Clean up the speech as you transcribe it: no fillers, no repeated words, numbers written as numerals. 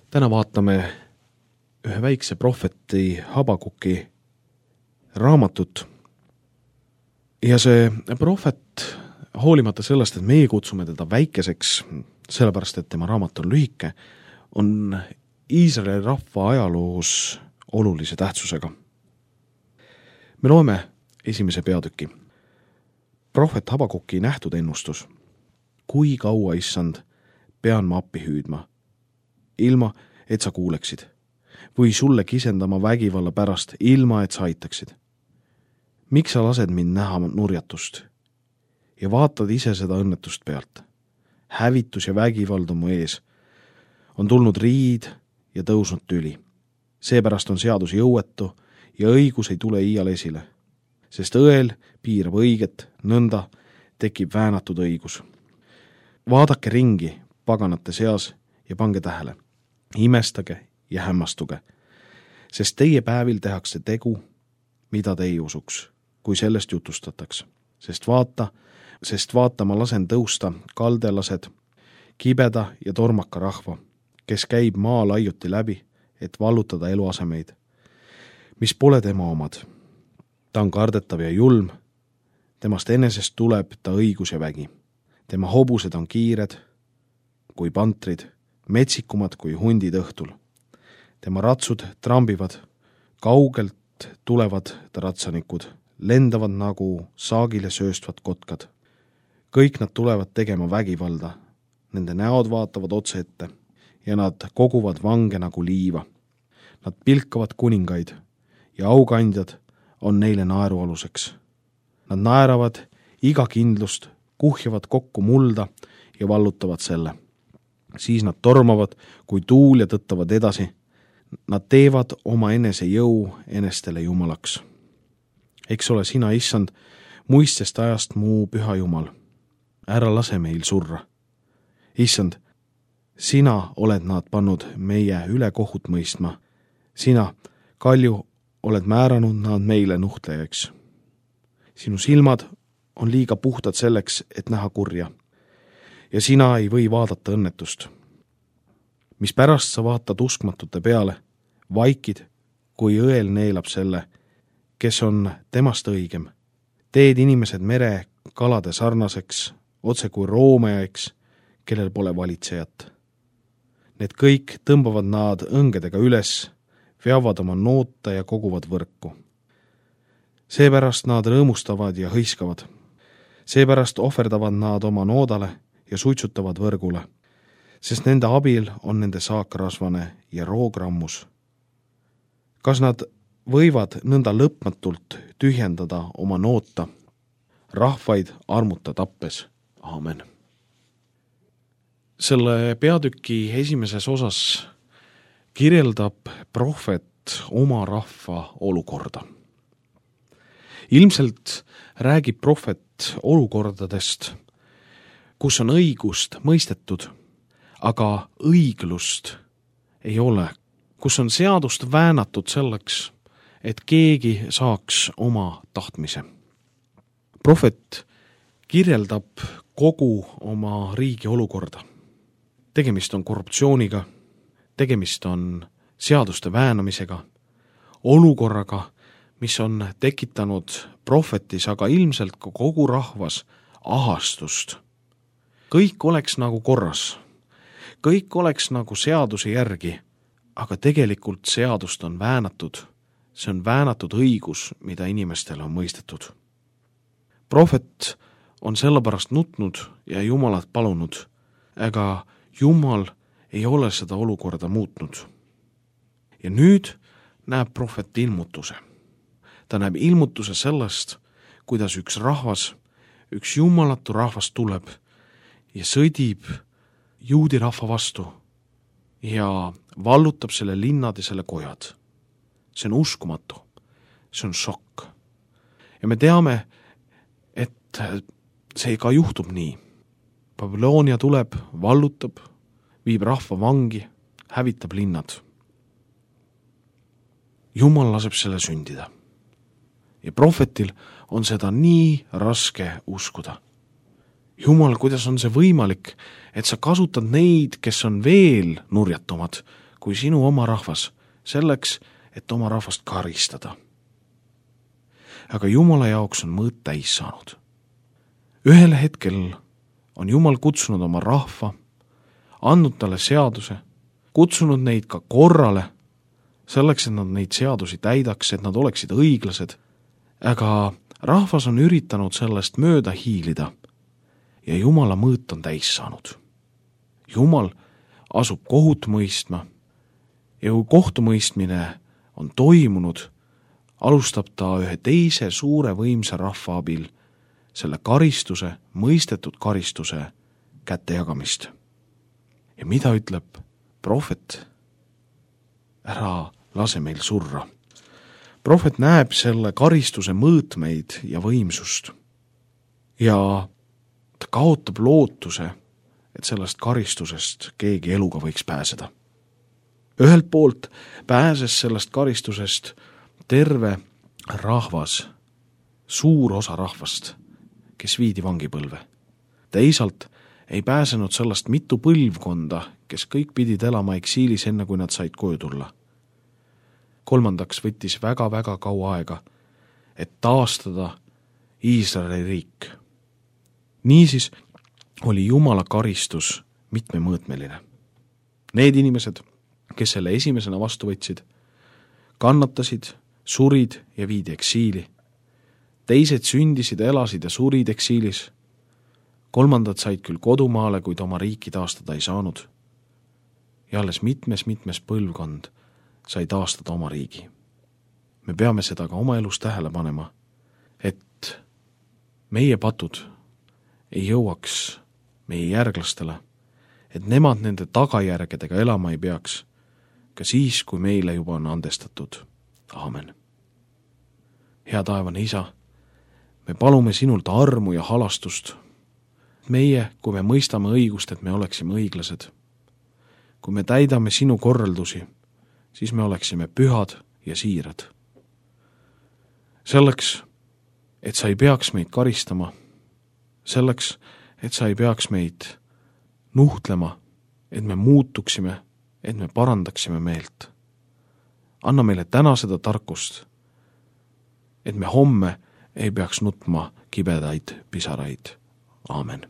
Täna vaatame ühe väikse prohveti Habakuki raamatut. Ja see prohvet, hoolimata sellest, et meie kutsume teda väikeseks, sellepärast, et tema raamat on lühike, on Iisraeli rahva ajaloos olulise tähtsusega. Me loeme esimese peatüki. Prohvet Habakuki nähtud ennustus. Kui kaua, issand, pean ma appi hüüdma, ilma, et sa kuuleksid, või sulle kisendama vägivalla pärast, ilma, et sa aitaksid. Miks sa lased mind näha nurjatust ja vaatad ise seda õnnetust pealt? Hävitus ja vägivald on mu ees. On tulnud riid ja tõusnud tüli. Seepärast on seadus jõuetu ja õigus ei tule iial esile, sest õel piirab õiget, nõnda tekib väänatud õigus. Vaadake ringi paganate seas ja pange tähele. Imestage ja hämmastuge, sest teie päevil tehakse tegu, mida te ei usuks, kui sellest jutustataks. Sest vaata, ma lasen tõusta kaldelased, kibeda ja tormaka rahva, kes käib maa laiuti läbi, et vallutada eluasemeid, mis pole tema omad. Ta on kardetav ja julm, temast enesest tuleb ta õigus ja vägi. Tema hobused on kiired kui pantrid, metsikumad kui hundid õhtul. Tema ratsud trambivad, kaugelt tulevad ta ratsanikud, lendavad nagu saagile sööstvad kotkad. Kõik nad tulevad tegema vägivalda, nende näod vaatavad otse ette ja nad koguvad vange nagu liiva. Nad pilkavad kuningaid ja aukandjad on neile naerualuseks. Nad naeravad iga kindlust, kuhjavad kokku mulda ja vallutavad selle. Siis nad tormavad, kui tuul ja tõttavad edasi. Nad teevad oma enese jõu enestele jumalaks. Eks ole sina, issand, muistest ajast mu püha jumal. Ära lase meil surra. Issand, sina oled nad pannud meie üle kohut mõistma. Sina, kalju, oled määranud nad meile nuhtlejaks. Sinu silmad on liiga puhtad selleks, et näha kurja. Ja sina ei või vaadata õnnetust. Mis pärast sa vaatad uskmatute peale, vaikid, kui õel neelab selle, kes on temast õigem. Teed inimesed mere kalade sarnaseks, otse kui roomejaks, kellel pole valitsejat. Need kõik tõmbavad nad õngedega üles, veavad oma noota ja koguvad võrku. Seepärast nad rõõmustavad ja hõiskavad. Seepärast ohverdavad nad oma noodale ja suitsutavad võrgule, sest nende abil on nende saak rasvane ja roogrammus. Kas nad võivad nõnda lõpmatult tühjendada oma noota, rahvaid armuta tappes? Aamen. Selle peatüki esimeses osas kirjeldab prohvet oma rahva olukorda. Ilmselt räägib prohvet olukordadest, kus on õigust mõistetud, aga õiglust ei ole, kus on seadust väänatud selleks, et keegi saaks oma tahtmise. Prohvet kirjeldab kogu oma riigi olukorda. Tegemist on korruptsiooniga, tegemist on seaduste väänamisega, olukorraga, mis on tekitanud prohvetis, aga ilmselt ka kogu rahvas ahastust. Kõik oleks nagu korras, kõik oleks nagu seaduse järgi, aga tegelikult seadust on väänatud. See on väänatud õigus, mida inimestele on mõistetud. Prohvet on sellepärast nutnud ja Jumalat palunud, aga Jumal ei ole seda olukorda muutnud. Ja nüüd näeb prohvet ilmutuse. Ta näeb ilmutuse sellest, kuidas üks rahvas, üks jumalatu rahvas tuleb ja sõdib juudi rahva vastu ja vallutab selle linnad ja selle kojad. See on uskumatu. See on šokk. Ja me teame, et see ka juhtub nii. Babyloonia tuleb, vallutab, viib rahva vangi, hävitab linnad. Jumal laseb selle sündida. Ja prohvetil on seda nii raske uskuda. Jumal, kuidas on see võimalik, et sa kasutad neid, kes on veel nurjatumad kui sinu oma rahvas, selleks, et oma rahvast karistada. Aga Jumala jaoks on mõõt täis saanud. Ühel hetkel on Jumal kutsunud oma rahva, andnud talle seaduse, kutsunud neid ka korrale, selleks, et nad neid seadusi täidaks, et nad oleksid õiglased, aga rahvas on üritanud sellest mööda hiilida ja Jumala mõõt on täis saanud. Jumal asub kohut mõistma ja kui kohtumõistmine on toimunud, alustab ta ühe teise suure võimsa rahva abil selle karistuse, mõistetud karistuse kätte jagamist. Ja mida ütleb prohvet? Ära lase meil surra. Prohvet näeb selle karistuse mõõtmeid ja võimsust ja ta kaotab lootuse, et sellest karistusest keegi eluga võiks pääseda. Ühelt poolt pääses sellest karistusest terve rahvas, suur osa rahvast, kes viidi vangipõlve. Teisalt ei pääsenud sellest mitu põlvkonda, kes kõik pidid elama eksiilis enne, kui nad said koju tulla. Kolmandaks võttis väga-väga kaua aega, et taastada Iisraeli riik. Niisiis oli Jumala karistus mitmemõõtmeline. Need inimesed, kes selle esimesena vastu võtsid, kannatasid, surid ja viidi eksiili. Teised sündisid, elasid ja surid eksiilis. Kolmandad said küll kodumaale, kuid oma riiki taastada ei saanud. Ja alles mitmes põlvkond sai taastada oma riigi. Me peame seda ka oma elus tähele panema, et meie patud ei jõuaks meie järglastele, et nemad nende tagajärgedega elama ei peaks, ka siis, kui meile juba on andestatud. Aamen. Hea taevane Isa, me palume sinult armu ja halastust. Meie, kui me mõistame õigust, et me oleksime õiglased. Kui me täidame sinu korraldusi, siis me oleksime pühad ja siirad. Selleks, et sa ei peaks meid karistama, selleks, et sa ei peaks meid nuhtlema, et me muutuksime, et me parandaksime meelt. Anna meile täna seda tarkust, et me homme ei peaks nutma kibedaid pisaraid. Aamen.